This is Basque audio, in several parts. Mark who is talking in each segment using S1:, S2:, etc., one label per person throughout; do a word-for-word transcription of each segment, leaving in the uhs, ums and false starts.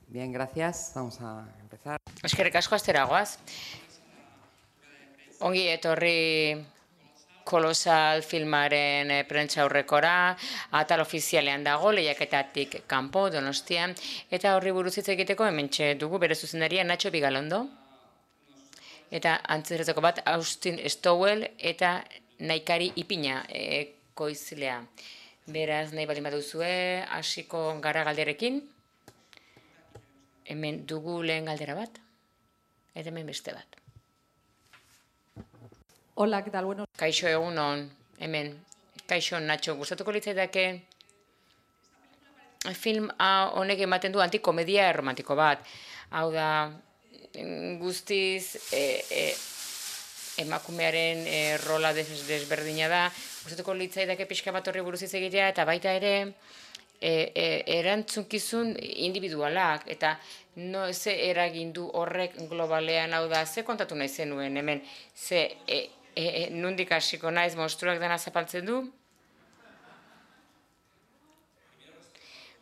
S1: Bien, gracias. Vamos a empezar.
S2: Eskerrik asko asteragoaz. Ongi etorri Kolosal filmaren eh, prentsa aurrekora, atal ofizialean dago, lehiaketatik kanpo, Donostian, eta horri buruz hitz egiteko hementxe dugu bere zuzendaria Nacho Bigalondo, eta antzerretako bat Austin Stowell eta Naikari Ipina ekoizlea. Beraz, nahi baldin baduzue, hasiko gara galderekin. Hemen dugu lehen galdera bat, eta hemen beste bat.
S3: Hola, ¿qué tal? Bueno,
S2: Kaixo egunon, hemen. Kaixo Nacho, gustatuko litzaidake film hau honek ematen du antikomedia erromantiko bat. Hau da, guztiz e, e, emakumearen e, rola des, desberdina da. Gustatuko litzaidake pixka bat horri buruz hitz egitea, eta baita ere e, e, erantzunkizun individualak, eta no, ze eragin du horrek globalean, hau da, ze kontatu nahi zenuen hemen, ze e, e, e, nundik hasiko naiz monstruak dena zapaltzen du?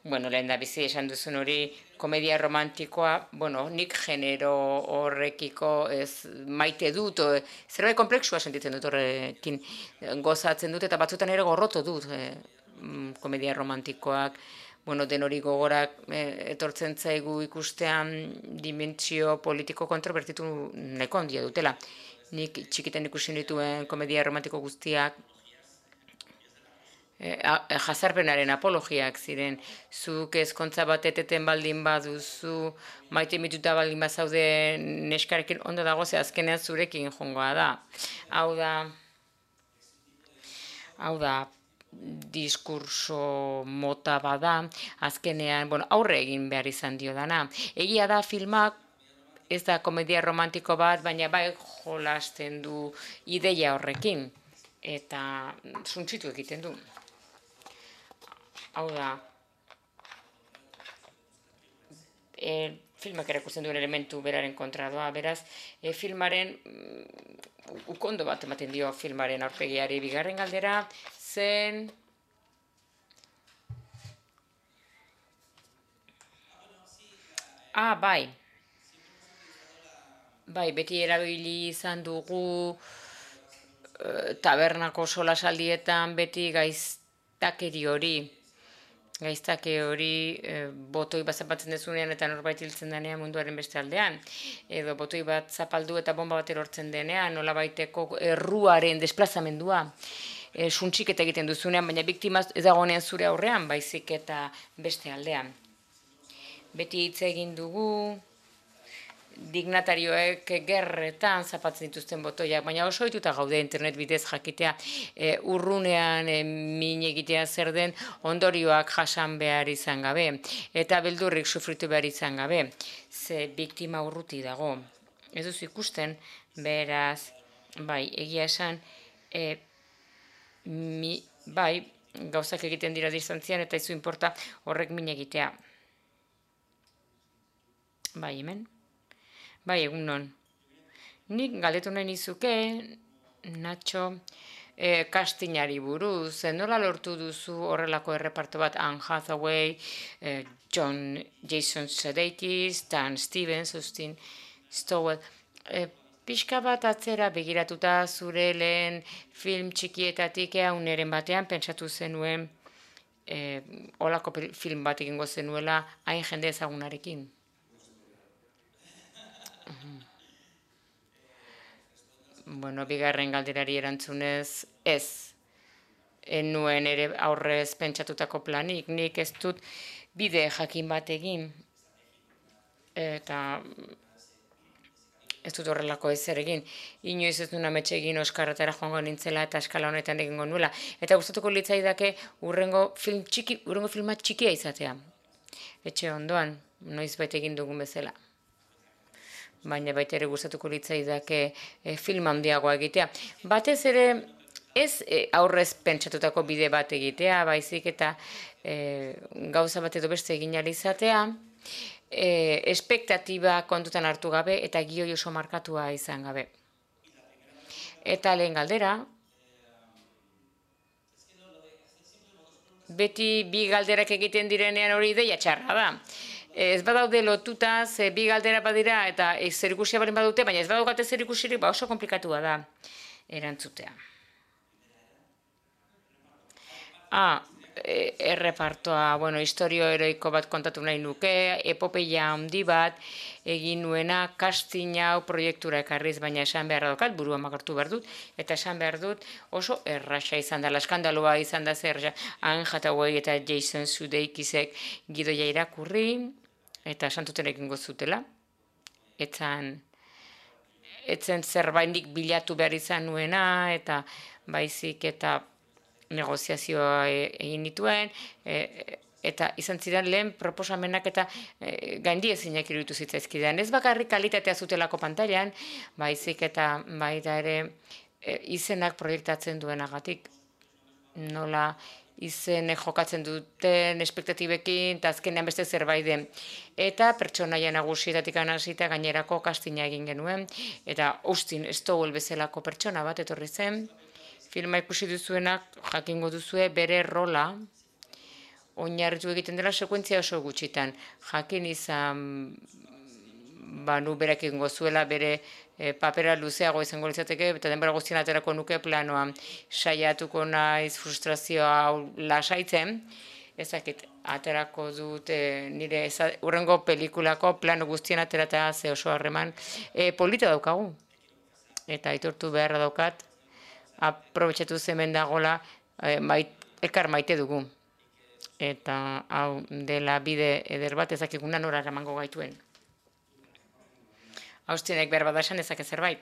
S2: Bueno, lehen da bizi esan duzun hori komedia romantikoa, bueno, nik genero horrekiko ez maite dut, o, zerbait komplexua sentitzen dut horrekin gozatzen dut, eta batzutan ere gorroto dut e, komedia romantikoak, bueno, den hori gogorak e, etortzen zaigu ikustean dimentsio politiko kontrobertitu nahiko handia dutela. Nik txikitan ikusi dituen komedia romantiko guztiak E, a, jazarpenaren apologiak ziren, zuk ezkontza bat eteten baldin baduzu, maite mituta baldin bazaude neskarekin ondo dago, ze azkenean zurekin jongoa da. Hau da, hau da, diskurso mota bada, azkenean, bueno, aurre egin behar izan dio dana. Egia da filmak, ez da komedia romantiko bat, baina bai jolasten du ideia horrekin, eta suntsitu egiten du. Hau da, e, filmak erakusten duen elementu beraren kontra doa, beraz, e, filmaren mm, ukondo bat ematen dio filmaren aurpegiari. Bigarren galdera zen Ah, bai. Bai, beti erabili izan dugu e, tabernako solasaldietan beti gaiztakeri hori. Gaiztake hori e, botoi bat zapatzen dezunean eta norbait hiltzen denean munduaren beste aldean. Edo botoi bat zapaldu eta bomba bat erortzen denean, nola baiteko erruaren desplazamendua. E, suntxik eta egiten duzunean, baina biktima ez dagoenean zure aurrean, baizik eta beste aldean. Beti hitz egin dugu dignatarioek gerretan zapatzen dituzten botoiak, baina oso ohituta gaude internet bidez jakitea e, urrunean e, min egitea zer den ondorioak jasan behar izan gabe, eta beldurrik sufritu behar izan gabe, ze biktima urruti dago. Ez duzu ikusten, beraz, bai, egia esan, e, mi, bai, gauzak egiten dira distantzian, eta izu inporta horrek min egitea. Bai, hemen. Bai, egun non. Nik galdetu nahi nizuke, Nacho, e, castingari buruz, nola lortu duzu horrelako erreparto bat Anne Hathaway, e, John Jason Sudeikis, Dan Stevens, Austin Stowell. E, pixka bat atzera begiratuta zure lehen film txikietatik eauneren batean pentsatu zenuen e, olako film bat egingo zenuela hain jende ezagunarekin. Bueno, bigarren galderari erantzunez, ez. Enuen ere aurrez pentsatutako planik, nik ez dut bide jakin bat egin. Eta ez dut horrelako ezer egin. Inoiz ez duen ametxe egin Oskarretara joango nintzela eta eskala honetan egingo nuela. Eta gustatuko litzaidake urrengo film txiki, urrengo filma txikia izatea. Etxe ondoan, noiz baita egin dugun bezala. Baina baita ere gustatuko litzaidake e, film handiagoa egitea. Batez ere ez e, aurrez pentsatutako bide bat egitea, baizik eta e, gauza bat edo beste egin ahal izatea, e, espektatiba kontutan hartu gabe eta gioi oso markatua izan gabe. Eta lehen galdera, beti bi galderak egiten direnean hori ideia txarra da. ez badaude lotuta, ze bi galdera badira eta zerikusia baldin badute, baina ez badaukate zerikusirik, ba oso komplikatua da erantzutea. Ah, errepartoa, bueno, historio heroiko bat kontatu nahi nuke, epopeia handi bat, egin nuena, casting hau proiektura ekarriz, baina esan behar daukat, burua makartu behar dut, eta esan behar dut oso erraxa izan dela, eskandaloa izan da zer, Anne Hathaway eta Jason Sudeikisek gidoia irakurri, eta santuten egingo zutela, etzan, etzen zerbaitik bilatu behar izan nuena, eta baizik eta negoziazioa egin dituen, eta izan ziren lehen proposamenak eta gaindi ezinak iruditu zitzaizkidean. Ez bakarrik kalitatea zutelako pantailan, baizik eta baita ere izenak proiektatzen duenagatik. Nola izen jokatzen duten espektatibekin, eta azkenean beste zerbait den. Eta pertsonaia nagusietatik hasita gainerako kastina egin genuen, eta Austin Stowell bezalako pertsona bat etorri zen, filma ikusi duzuenak jakingo duzue bere rola oinarritu egiten dela sekuentzia oso gutxitan. Jakin izan banu berak egingo zuela bere papera luzeago izango litzateke eta denbora guztien aterako nuke planoa. Saiatuko naiz frustrazioa lasaitzen, ezakit aterako dut nire hurrengo pelikulako plano guztien aterata ze oso harreman polita daukagu. Eta aitortu beharra daukat, aprobetxatu zemen dagola elkar maite dugu. Eta hau dela bide eder bat ezakiguna nora eramango gaituen. Austinek behar bada esan ezake zerbait.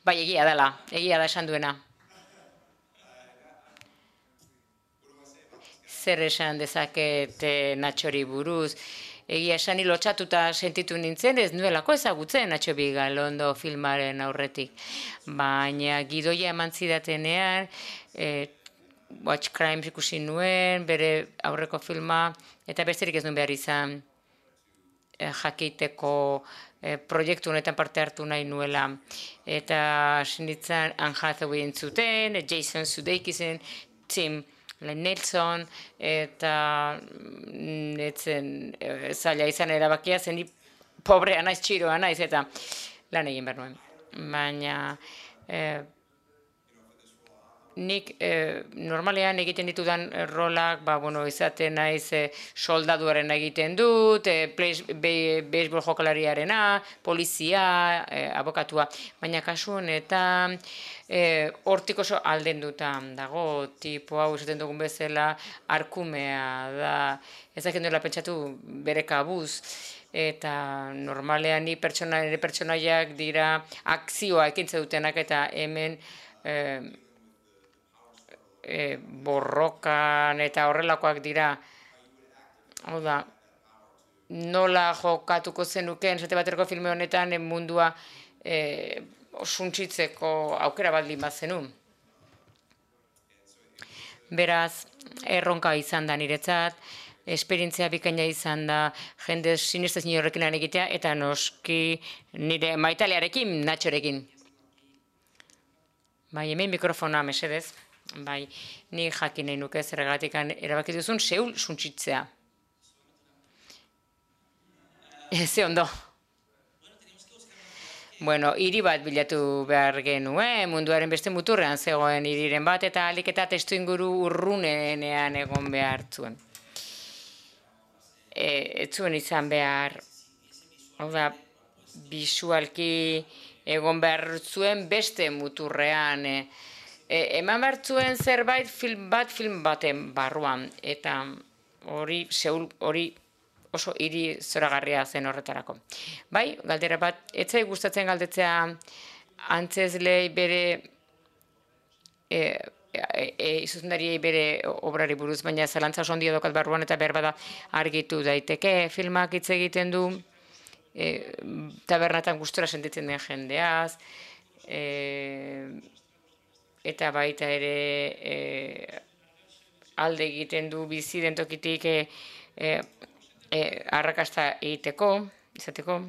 S2: Bai, egia dela, egia da esan duena. Zer esan dezaket Natxori buruz, egia esan lotxatuta sentitu nintzen, ez nuelako ezagutzen Nacho Vigalondo filmaren aurretik. Baina gidoia eman zidatenean, Watch Crimes ikusi nuen, bere aurreko filma, eta besterik ez nuen behar izan jakiteko proiektu honetan parte hartu nahi nuela. Eta sinitzen Anne Hathaway entzuten, Jason Sudeikisen, Tim Nelson, eta etzen zaila izan erabakia, zen ni pobrea naiz, txiroa naiz, eta lan egin behar nuen. Baina nik normalean egiten ditudan rolak, izaten naiz soldaduaren egiten dut, beisbol jokalariarena, polizia, abokatua, baina kasu honetan hortik oso aldendutan dago, tipo hau esaten dugun bezala arkumea da, ezak endoela pentsatu bere kabuz, eta normalean ni pertsonaiak dira akzioa ekintze dutenak, eta hemen borrokan eta horrelakoak dira. Hau da, nola jokatuko zenuken, esate baterako filme honetan mundua suntsitzeko aukera baldin bat zenun. Beraz, erronka izan da niretzat, esperientzia bikaina izan da jende sinestezin horrekin lan egitea, eta noski nire maitalearekin, Natxorekin. Bai, hemen mikrofona mesedez. Bai, ni jakin nahi nuke zergatik erabaki duzun Seul suntsitzea. Ze ondo. Bueno, hiri bat bilatu behar genuen, munduaren beste muturrean zegoen hiriren bat, eta alik eta testu inguru urrunenean egon behar zuen. Ez zuen izan behar, hau da, bisualki egon behar zuen beste muturrean, eman behar zuen zerbait film bat film baten barruan, eta hori Seul hori oso hiri zoragarria zen horretarako. Bai, galdera bat, etzai gustatzen galdetzea antzezlei bere izuzendariei bere obrari buruz, baina zalantza oso ondia dokat barruan eta behar bada argitu daiteke. Filmak hitz egiten du tabernatan gustura sentitzen den jendeaz, eta baita ere alde egiten du bizi den tokitik arrakasta egiteko, izateko.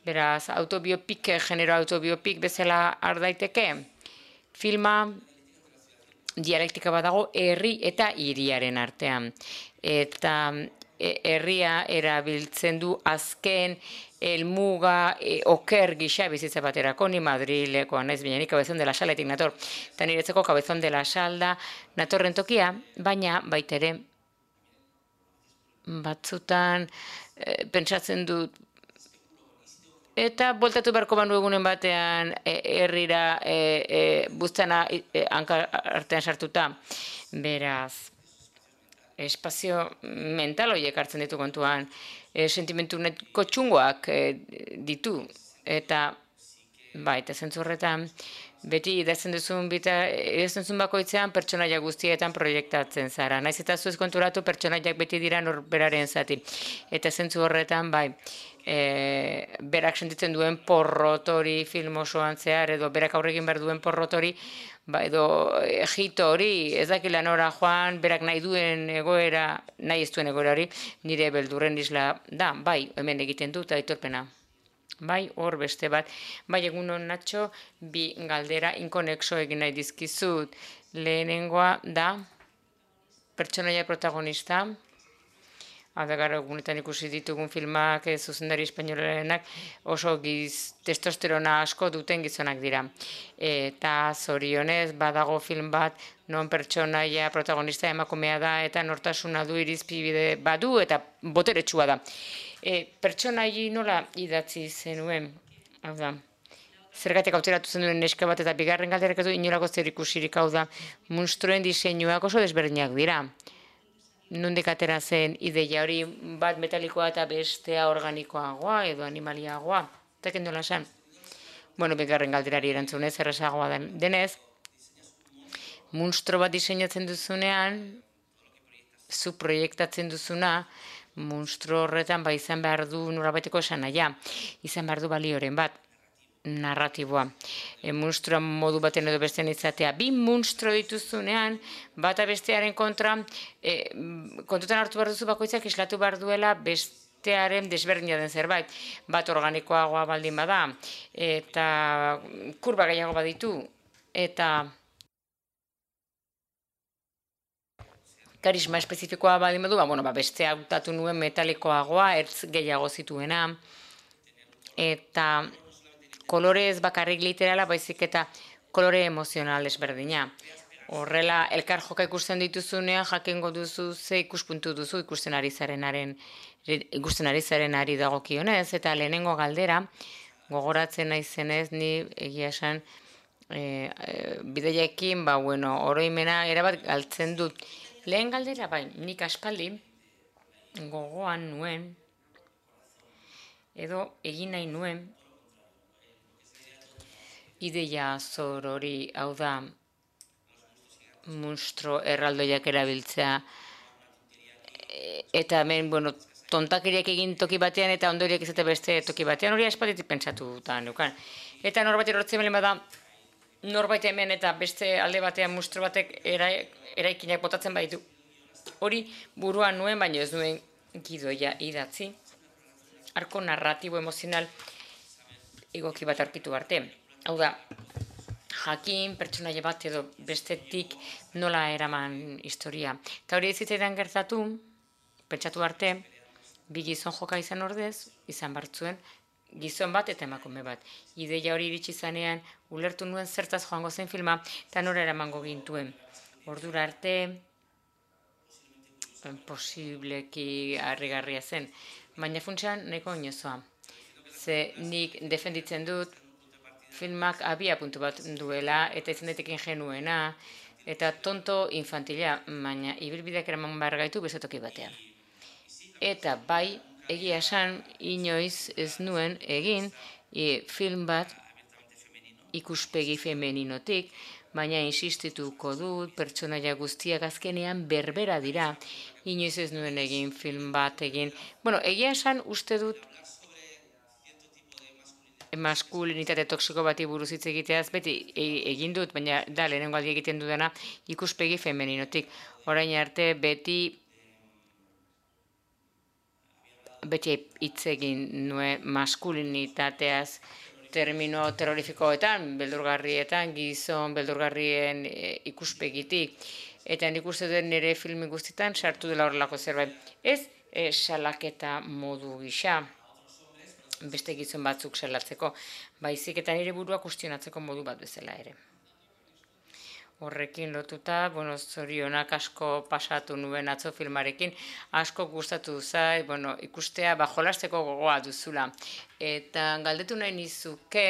S2: Beraz, autobiopik, genero autobiopik bezala har daiteke. Filma dialektika badago herri eta hiriaren artean. Eta herria erabiltzen du azken helmuga e, oker gisa bizitza baterako, ni Madrilekoa naiz, baina ni Cabezón de la Saletik nator. Eta niretzeko Cabezón de la Sal da natorren tokia, baina baita ere batzutan e, pentsatzen dut eta boltatu beharko banu egunen batean herrira e, e, buztana e, hanka artean sartuta. Beraz, espazio mental horiek hartzen ditu kontuan, e, sentimentu netko txungoak e, ditu. Eta, bai, eta zentzu horretan, beti idazten duzun, bita, idazten duzun bakoitzean pertsonaia guztietan proiektatzen zara. Naiz eta zuez konturatu pertsonaiak beti dira norberaren zati. Eta zentzu horretan, bai, e, berak sentitzen duen porrotori film osoan zehar, edo berak aurrekin behar duen porrotori, ba, edo egito hori, ez dakila nora joan, berak nahi duen egoera, nahi ez duen egoera hori, nire beldurren isla da, bai, hemen egiten dut, aitorpena. Bai, hor beste bat. Bai, egunon Natxo, bi galdera inkonexo egin nahi dizkizut. Lehenengoa da, pertsonaia protagonista, hau da gara egunetan ikusi ditugun filmak, zuzendari espainolenak, oso giz, testosterona asko duten gizonak dira. Eta zorionez, badago film bat, non pertsonaia protagonista emakumea da, eta nortasuna du irizpide badu, eta boteretsua da. E, pertsonai nola idatzi zenuen, hau da, zergatik auteratu zen duen neska bat, eta bigarren galderak ez du inolako zer ikusirik, hau da, monstruen diseinuak oso desberdinak dira. Nondik atera zen ideia hori bat metalikoa eta bestea organikoagoa edo animaliagoa, eta kendola zen. Bueno, bigarren galderari erantzunez, errazagoa denez, monstro bat diseinatzen duzunean, zu proiektatzen duzuna, monstro horretan ba izan behar du norabaiteko esan naia, izan behar du balioren bat, narratiboa. E, monstrua modu baten edo bestean izatea. Bi monstro dituzunean, bata bestearen kontra, e, kontutan hartu behar duzu bakoitzak islatu behar duela bestearen desberdina den zerbait. Bat organikoagoa baldin bada, eta kurba gehiago baditu, eta karisma espezifikoa baldin badu, ba, bueno, ba, bestea hautatu nuen metalikoagoa, ertz gehiago zituena, eta kolore ez bakarrik literala, baizik eta kolore emozional ezberdina. Horrela, elkar joka ikusten dituzunean, jakingo duzu ze ikuspuntu duzu ikusten ari zarenaren, ikusten ari zarenari dagokionez, eta lehenengo galdera, gogoratzen naizenez, ni egia esan, e, e, bideiekin, ba, bueno, oroimena erabat galtzen dut. Lehen galdera, bai, nik aspaldi gogoan nuen, edo egin nahi nuen, ideia zor hori, hau da, monstro erraldoiak erabiltzea, eta hemen, bueno, tontakiriak egin toki batean eta ondoriak izate beste toki batean, hori aspalditik pentsatu da neukan. Eta norbait erortzen belen bada, norbait hemen eta beste alde batean monstro batek era, eraikinak botatzen baditu. Hori buruan nuen, baina ez nuen gidoia idatzi. Arko narratibo emozional egoki bat aurkitu arte. Hau da, jakin pertsonaia bat edo bestetik nola eraman historia. Eta hori ez zitzaidan gertatu, pentsatu arte, bi gizon joka izan ordez, izan bartzuen, gizon bat eta emakume bat. Ideia hori iritsi zanean, ulertu nuen zertaz joango zen filma, eta nora eramango gintuen. Ordura arte, posibleki harrigarria zen, baina funtsean nahiko inozoa. Ze nik defenditzen dut, filmak abia puntu bat duela, eta izan daiteke ingenuena, eta tonto infantila, baina ibilbideak eraman behar gaitu bezatoki batean. Eta bai, egia esan, inoiz ez nuen egin e, film bat ikuspegi femeninotik, baina insistituko dut, pertsonaia guztiak azkenean berbera dira, inoiz ez nuen egin film bat egin. Bueno, egia esan uste dut maskulinitate toksiko bati buruz hitz egiteaz, beti egin dut, baina da, lehenengo aldi egiten dudana ikuspegi femeninotik. Orain arte beti beti hitz egin nuen maskulinitateaz, termino terrorifikoetan, beldurgarrietan, gizon beldurgarrien e, ikuspegitik. Eta nik uste dut nire filmi guztietan sartu dela horrelako zerbait. Ez e, salaketa modu gisa, beste gizon batzuk salatzeko, baizik eta nire burua kustionatzeko modu bat bezala ere. Horrekin lotuta, bueno, zorionak asko pasatu nuen atzo filmarekin, asko gustatu zait, bueno, ikustea ba, jolasteko gogoa duzula. Eta galdetu nahi nizuke,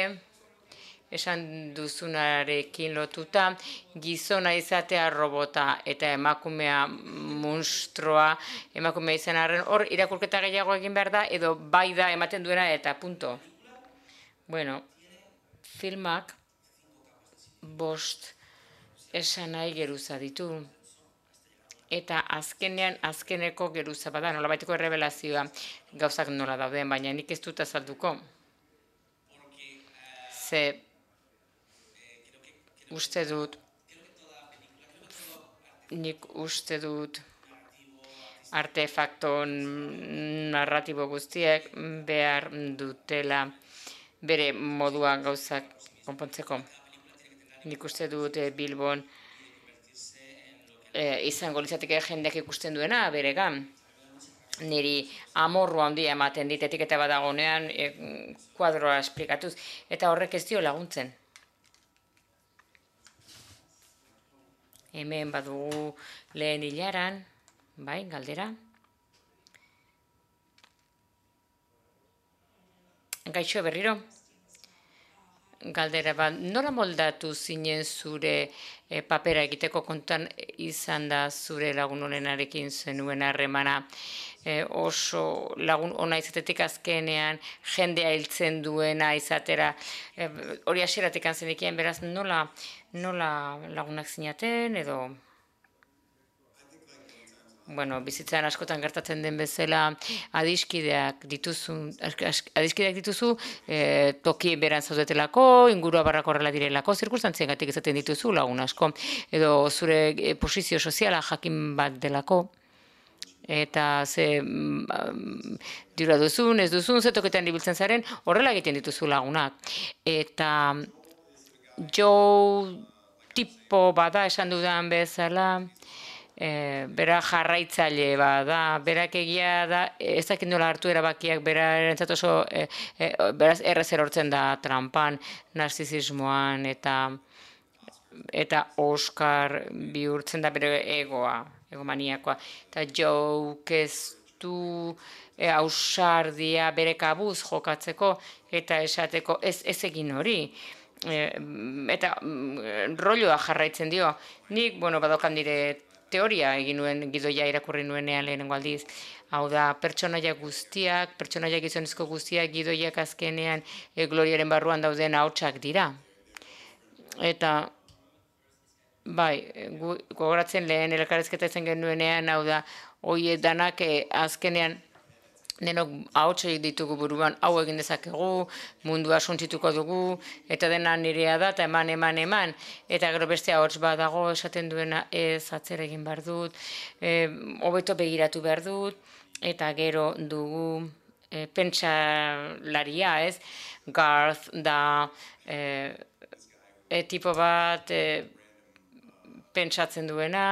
S2: esan duzunarekin lotuta, gizona izatea robota eta emakumea munstroa, emakumea izan arren, hor irakurketa gehiago egin behar da, edo bai da ematen duena eta punto. Bueno, filmak bost esan nahi geruza ditu. Eta azkenean, azkeneko geruza bada, nolabaiteko errebelazioa gauzak nola dauden, baina nik ez dut azalduko. Ze uste dut, nik uste dut artefakto narratibo guztiek behar dutela bere moduan gauzak konpontzeko. Nik uste dut e, Bilbon e, izango litzateke jendeak ikusten duena beregan. Niri amorrua handia ematen dit etiketa badagonean e, kuadroa esplikatuz, eta horrek ez dio laguntzen. Hemen badugu lehen hilaran, bai, galdera. Gaixo berriro. Galdera bat, nola moldatu zinen zure e, papera egiteko kontan izan da zure lagun honenarekin zenuen harremana e, oso lagun ona izatetik azkenean jendea hiltzen duena izatera e, hori hasieratik zenekien, beraz nola, nola lagunak zinaten edo... Bueno, bizitzan askotan gertatzen den bezala adiskideak dituzu, adiskideak dituzu e, toki beran zaudetelako, ingurua barrako horrela direlako, zirkunstantziengatik izaten dituzu lagun asko, edo zure e, posizio soziala jakin bat delako, eta ze mm, dira duzun, ez duzun, ze toketan ibiltzen zaren, horrela egiten dituzu lagunak. Eta jo tipo bada esan dudan bezala, E, bera jarraitzaile bada, berak egia da, ez dakit nola hartu erabakiak, bera erantzat oso, e, e, beraz errez erortzen da trampan, narzizismoan, eta eta Oscar bihurtzen da bere egoa, egomaniakoa, eta joke ez du e, ausardia bere kabuz jokatzeko, eta esateko ez, ez egin hori. E, eta mm, rolloa jarraitzen dio. Nik, bueno, badokan dire teoria egin nuen gidoia irakurri nuenean lehenengo aldiz. Hau da, pertsonaia guztiak, pertsonaia gizonezko guztiak gidoiak azkenean e, gloriaren barruan dauden ahotsak dira. Eta, bai, gu, gogoratzen lehen elkarrezketa izan genuenean, hau da, hoi danak e, azkenean denok ahotsak ditugu buruan, hau egin dezakegu, mundua suntzituko dugu, eta dena nirea da, eta eman, eman, eman. Eta gero beste ahots bat dago, esaten duena ez atzera egin behar dut, e, hobeto begiratu behar dut, eta gero dugu e, pentsalaria, ez? Garth da e, e, tipo bat e, pentsatzen duena,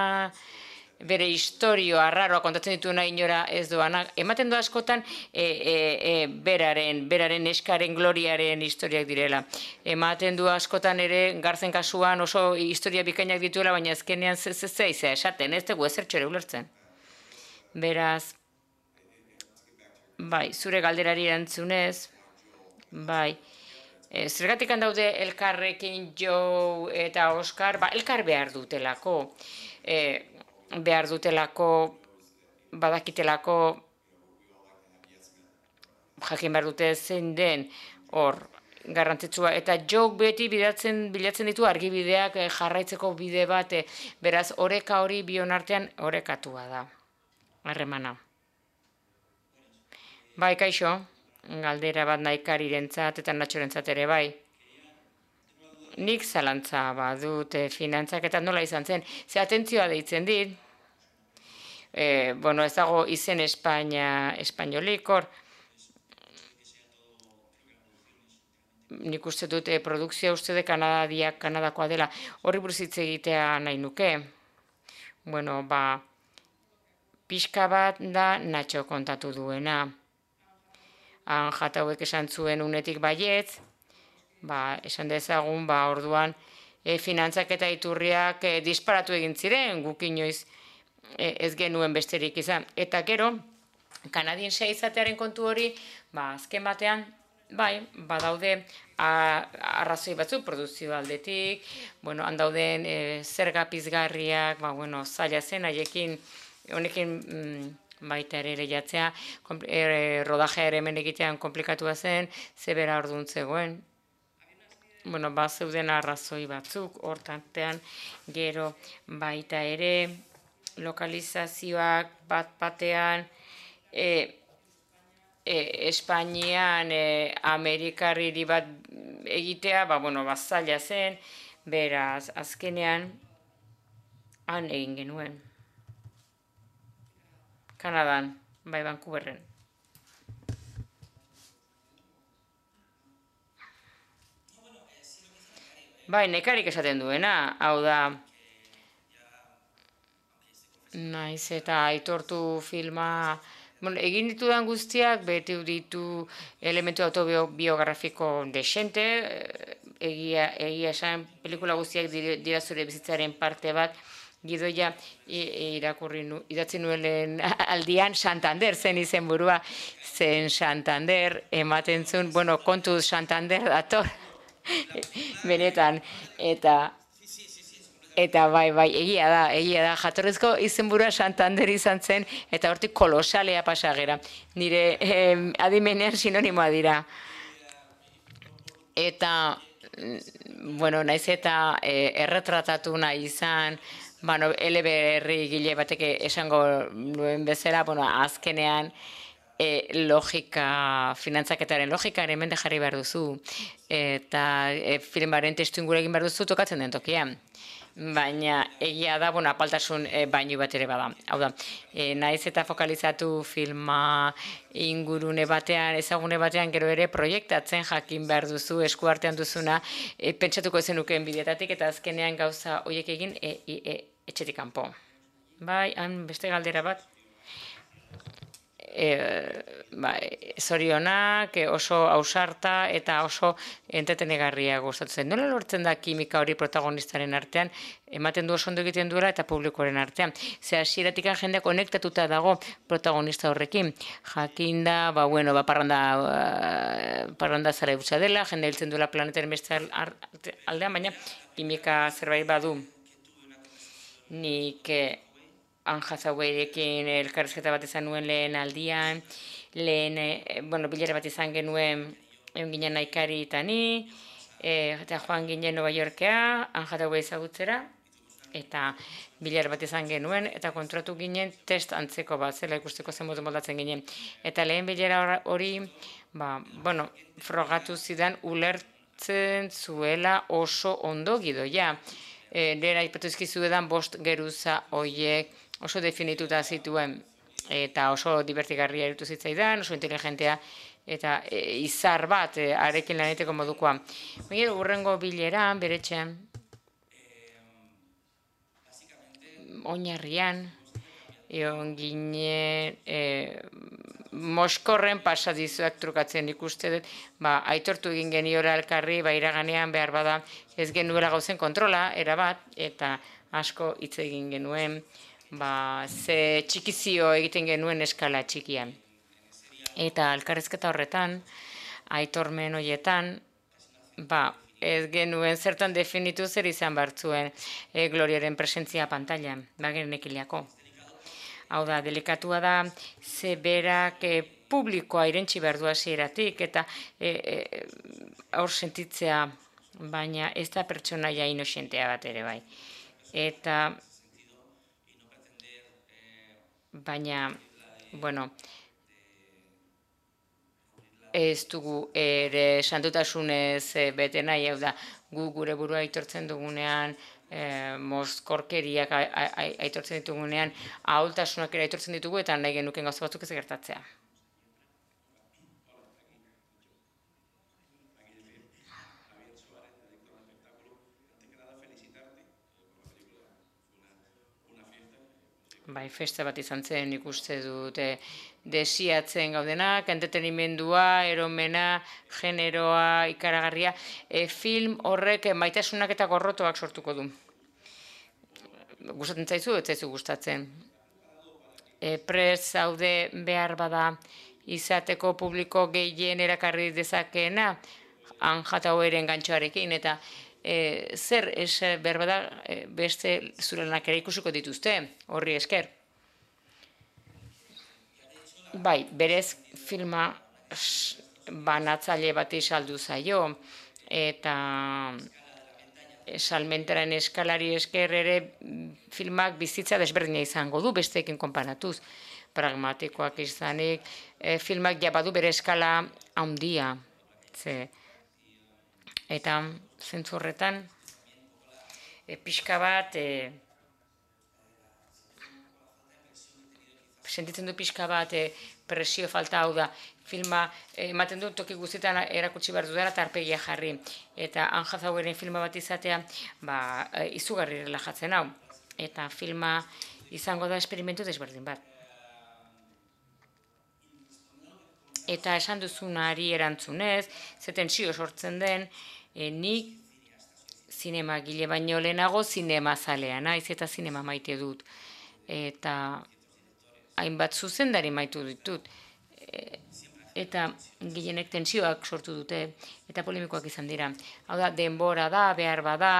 S2: bere historio arraroa kontatzen dituena inora ez doana. Ematen du askotan e, e, e, beraren, beraren eskaren gloriaren historiak direla. Ematen du askotan ere Garzen kasuan oso historia bikainak dituela, baina azkenean zeizea esaten, ez dugu ezertxo ere ulertzen. Beraz, bai, zure galderari erantzunez, bai, e, zergatik daude elkarrekin Joe eta Oscar, ba, elkar behar dutelako. E, behar dutelako, badakitelako, jakin behar dute zein den hor garrantzitsua. Eta jok beti bilatzen, bilatzen ditu argibideak jarraitzeko bide bat, beraz oreka hori bion artean orekatua da, harremana. Bai, kaixo, galdera bat nahikarirentzat eta natxorentzat ere bai. Nik zalantza badut e, finantzak eta nola izan zen. Ze atentzioa deitzen dit, e, bueno, ez dago izen Espainia, espainolik, hor, nik uste dut e, produkzioa uste de Kanadiak, Kanadakoa dela, horri buruz hitz egitea nahi nuke. Bueno, ba, pixka bat da Natxo kontatu duena. Han jatauek esan zuen unetik baietz, ba, esan dezagun, ba, orduan, e, finantzak eta iturriak e, disparatu egin ziren, guk inoiz e, ez genuen besterik izan. Eta gero, kanadiense izatearen kontu hori, ba, azken batean, bai, badaude arrazoi batzuk produzio aldetik, bueno, han dauden e, zerga pizgarriak, ba, bueno, zaila zen, haiekin, honekin mm, baita ere lehiatzea, e, rodajea ere hemen egitean komplikatua zen, zebera orduan zegoen. Bueno, ba, zeuden arrazoi batzuk, hortantean, gero baita ere, lokalizazioak bat batean, e, e, Espainian e, Amerikarriri bat egitea, ba, bueno, ba, zaila zen, beraz, azkenean, han egin genuen. Kanadan, bai, Vancouverren. Bai, nekarik esaten duena, hau da, naiz eta aitortu filma, bueno, egin ditudan guztiak, beti ditu elementu autobiografiko desente, egia, egia esan, pelikula guztiak dira zure bizitzaren parte bat, gidoia irakurri nu, idatzi nuelen aldian Santander zen izen burua, zen Santander, ematen zuen, bueno, kontuz Santander dator, benetan, eta eta bai, bai, egia da, egia da, jatorrizko izenburua Santander izan zen, eta hortik kolosalea pasagera, nire eh, adimenean sinonimoa dira. Eta, bueno, naiz eta eh, erretratatu nahi izan, bueno, eleberri gile batek esango nuen bezala, bueno, azkenean, E, logika, finantzaketaren logika ere mende jarri behar duzu. Eta e, filmaren testu inguru egin behar duzu tokatzen den tokian. Baina egia da, bueno, apaltasun e, bainu bat ere bada. Hau da, e, naiz eta fokalizatu filma ingurune batean, ezagune batean gero ere proiektatzen jakin behar duzu, eskuartean duzuna, e, pentsatuko ezenukeen bideatatik eta azkenean gauza horiek egin e, e, e, etxetik kanpo. Bai, han beste galdera bat. E, ba, zorionak, oso ausarta eta oso entretenegarria gustatzen. Nola lortzen da kimika hori protagonistaren artean, ematen du oso ondo egiten duela eta publikoaren artean. Ze hasieratik jendea konektatuta dago protagonista horrekin. Jakinda, ba, bueno, ba, parranda, uh, parranda zara eutxa dela, jende hiltzen duela planetaren beste aldean, baina kimika zerbait badu. Nik Anja Zauberekin elkarrizketa bat izan nuen lehen aldian, lehen, e, bueno, bilera bat izan genuen egon ginen Naikari eta ni, e, eta joan ginen Nova Yorkea, Anja Zaube ezagutzera, eta bilera bat izan genuen, eta kontratu ginen test antzeko bat, zela ikusteko zen modu moldatzen ginen. Eta lehen bilera hori, ba, bueno, frogatu zidan ulertzen zuela oso ondo gidoia. E, Nera ipatuzkizu edan bost geruza hoiek, oso definituta zituen eta oso divertigarria irutu zitzaidan, oso inteligentea eta e, izar bat e, arekin laneteko modukoa. Baina urrengo bileran, beretxean, oinarrian, egon ginen e, Moskorren pasadizuak trukatzen ikuste dut, ba, aitortu egin geniora elkarri, ba, iraganean behar bada ez genuela gauzen kontrola, erabat, eta asko hitz egin genuen, ba, ze txikizio egiten genuen eskala txikian. Eta elkarrizketa horretan, aitormen horietan, ba, ez genuen zertan definitu zer izan bartzuen e, Gloriaren presentzia pantailan, ba, genekiliako. Hau da, delikatua da, ze berak e, publikoa irentxi behar du hasieratik eta e, e, aur sentitzea, baina ez da pertsonaia inoxentea bat ere bai. Eta baina, bueno, ez dugu ere santutasunez bete nahi, hau da, gu gure burua aitortzen dugunean, e, mozkorkeriak aitortzen ditugunean, ahultasunak ere aitortzen ditugu, eta nahi genuken gauza batzuk ez gertatzea. bai, festa bat izan zen nik uste dut, e, desiatzen gaudenak, entretenimendua, eromena, generoa, ikaragarria, e, film horrek maitasunak eta gorrotoak sortuko du. Gustatzen zaizu, ez zaizu gustatzen. E, prest zaude behar bada izateko publiko gehien erakarri dezakeena, Anjata Oeren gantxoarekin, eta e, zer ez behar bada e, beste zure lanak ere ikusiko dituzte, horri esker. Bai, berez filma banatzaile bati saldu zaio, eta salmentaren eskalari esker ere filmak bizitza desberdina izango du besteekin konparatuz. Pragmatikoak izanik, e, filmak ja badu bere eskala handia. Ze, eta zentzu horretan, e, pixka bat, e, sentitzen du pixka bat e, presio falta, hau da, filma ematen du toki guztietan erakutsi behar dudala eta arpegia jarri. Eta Anjata Oeren filma bat izatea, ba, e, izugarri relajatzen hau. Eta filma izango da esperimentu desberdin bat. Eta esan duzunari erantzunez, ze tentsio sortzen den, e, nik zinema gile baino lehenago zinema zalea naiz eta zinema maite dut. Eta hainbat zuzendari maitu ditut. E, eta gehienek tentsioak sortu dute eta polemikoak izan dira. Hau da, denbora da, behar bada,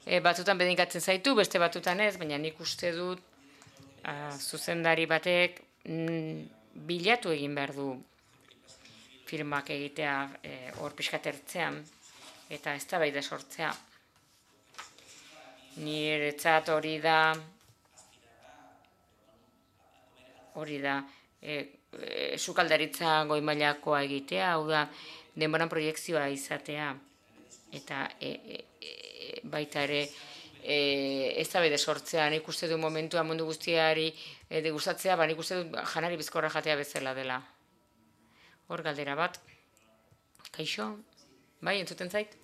S2: e, batzutan bedinkatzen zaitu, beste batzutan ez, baina nik uste dut a, zuzendari batek mm, bilatu egin behar du filmak egitea hor e, pixkatertzean eta eztabaida sortzea. Niretzat hori da hori da e, e, sukaldaritza goi mailakoa egitea, hau da denboran proiekzioa izatea eta e, e, e, baita ere e, eztabaida sortzea. Nik uste du momentua mundu guztiari e, degustatzea, ba nik uste du janari bizkorra jatea bezala dela. Hor galdera bat. Kaixo? Bai, entzuten zait?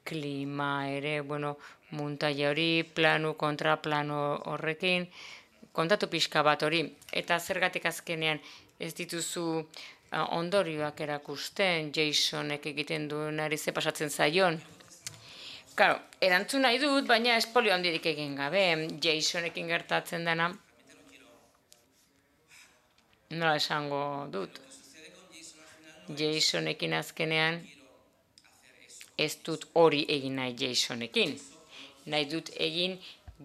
S2: Klima ere, bueno, muntaia hori, planu kontra plano horrekin, kontatu pixka bat hori. Eta zergatik azkenean ez dituzu uh, ondorioak erakusten, Jasonek egiten duenari ze pasatzen zaion. Claro, erantzun nahi dut, baina espolio handirik egin gabe, Jasonekin gertatzen dena, nola esango dut. Jasonekin azkenean ez dut hori egin nahi Jasonekin. Nahi dut egin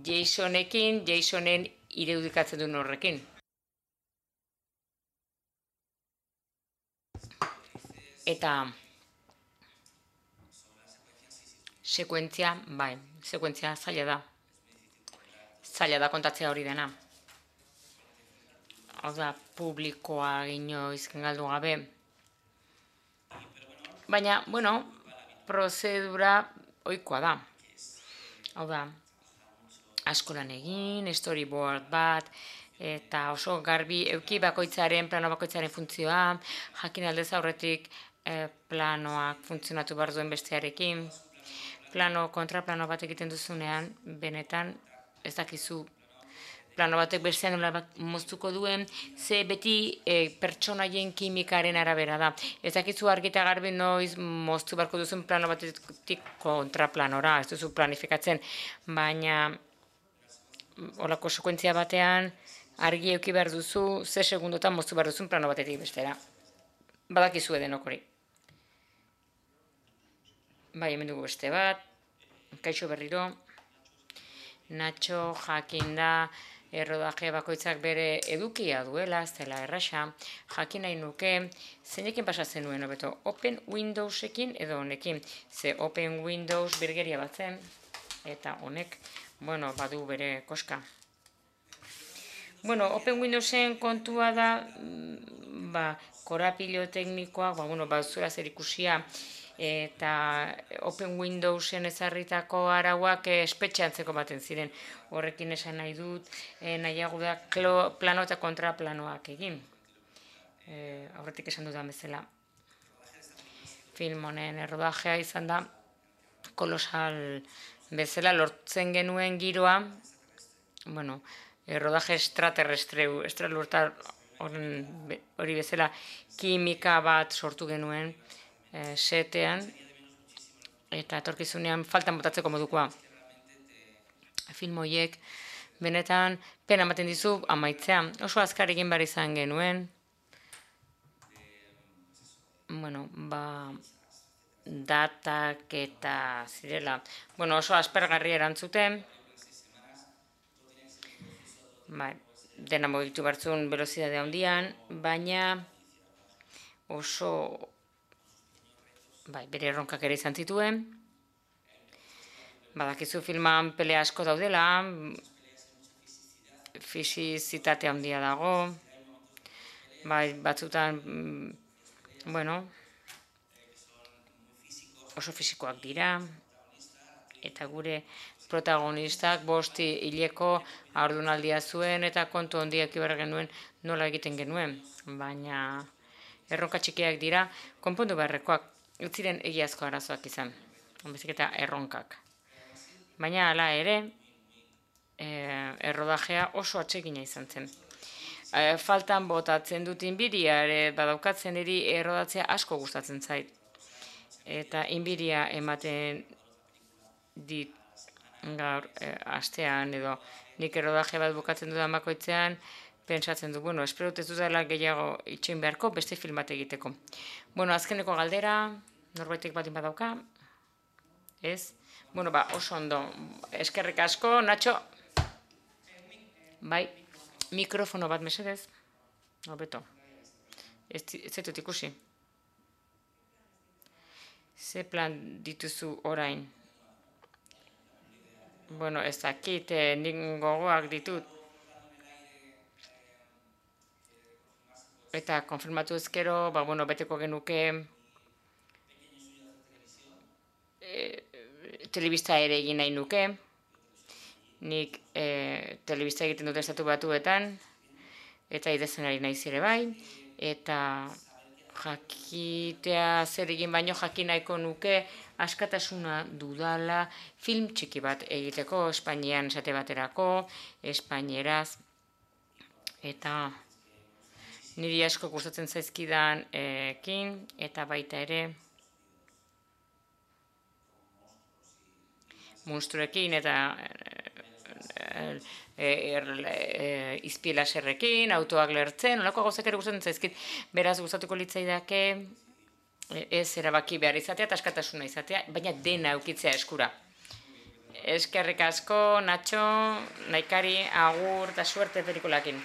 S2: Jasonekin, Jasonen irudikatzen duen horrekin. Eta sekuentzia, bai, sekuentzia zaila da. Zaila da kontatzea hori dena. Hau da, publikoa inoiz galdu gabe. Baina, bueno, prozedura ohikoa da. Hau da, askolan egin, storyboard bat, eta oso garbi euki bakoitzaren, plano bakoitzaren funtzioa, jakin aldez aurretik eh, planoak funtzionatu behar duen bestearekin. Plano, kontraplano bat egiten duzunean, benetan ez dakizu plano batek bestean nola moztuko duen, ze beti e, pertsonaien kimikaren arabera da. Ez dakizu argi eta garbi noiz moztu beharko duzun plano batetik kontraplanora, ez duzu planifikatzen, baina holako sekuentzia batean argi euki behar duzu, ze segundotan moztu behar duzun plano batetik bestera. Badakizu edenok hori. Bai, hemen dugu beste bat, kaixo berriro, Nacho jakinda, errodaje bakoitzak bere edukia duela, ez dela erraxa, jakin nahi nuke, zeinekin pasatzen nuen, hobeto, Open Windowsekin edo honekin, ze Open Windows birgeria batzen, eta honek, bueno, badu bere koska. Bueno, Open Windowsen kontua da, ba, korapilo teknikoak, ba, bueno, ba, zuela zer ikusia, eta Open Windowsen ezarritako arauak espetxeantzeko baten ziren. Horrekin esan nahi dut, eh, nahiago da plano eta kontraplanoak egin. Eh, aurretik esan dudan bezala. Film honen errodajea izan da kolosal bezala lortzen genuen giroa, bueno, rodaje extraterrestre, estralurtar hori bezala kimika bat sortu genuen setean, eta etorkizunean faltan botatzeko modukoa. Film horiek benetan pena ematen dizu amaitzea. Oso azkar egin behar izan genuen. Bueno, ba, datak eta zirela. Bueno, oso aspergarri erantzuten. Bai, dena mugitu bertzun velozidade handian, baina oso bai, bere erronkak ere izan zituen. Badakizu filman pelea asko daudela, fisizitate handia dago, bai, batzutan, bueno, oso fisikoak dira, eta gure protagonistak bosti hileko haurdunaldia zuen eta kontu handiak ibar genuen nola egiten genuen, baina erronka txikiak dira, konpondu beharrekoak, ez ziren egiazko arazoak izan, bezik eta erronkak. Baina hala ere, errodajea oso atsegina izan zen. Faltan botatzen dut inbiria, badaukatzen eri errodatzea asko gustatzen zait. Eta inbiria ematen dit gaur astean edo nik errodaje bat bukatzen dudan bakoitzean, pentsatzen du, bueno, espero ez dudala gehiago itxoin beharko beste film bat egiteko. Bueno, azkeneko galdera, norbaitek batin badauka, ez? Bueno, ba, oso ondo, eskerrik asko, Nacho. Bai, mikrofono bat mesedez, hobeto, ez zaitut ikusi. Ze plan dituzu orain? Bueno, ez dakit, nik gogoak ditut. Eta konfirmatu ezkero, ba, bueno, beteko genuke telebista ere egin nahi nuke. Nik telebista egiten dut estatu batuetan, eta idezenari naiz ere bai, eta jakitea zer egin baino jakin nahiko nuke askatasuna dudala film txiki bat egiteko, Espainian esate baterako, espainieraz, eta niri asko gustatzen zaizkidan ekin, eta baita ere monstruekin eta izpilaserrekin, autoak lertzen, olako gauzak ere gustatzen zaizkit, beraz gustatuko litzaidake ez erabaki behar izatea eta askatasuna izatea, baina dena eukitzea eskura. Eskerrik asko, Nacho, Naikari, agur eta suerte pelikulakin.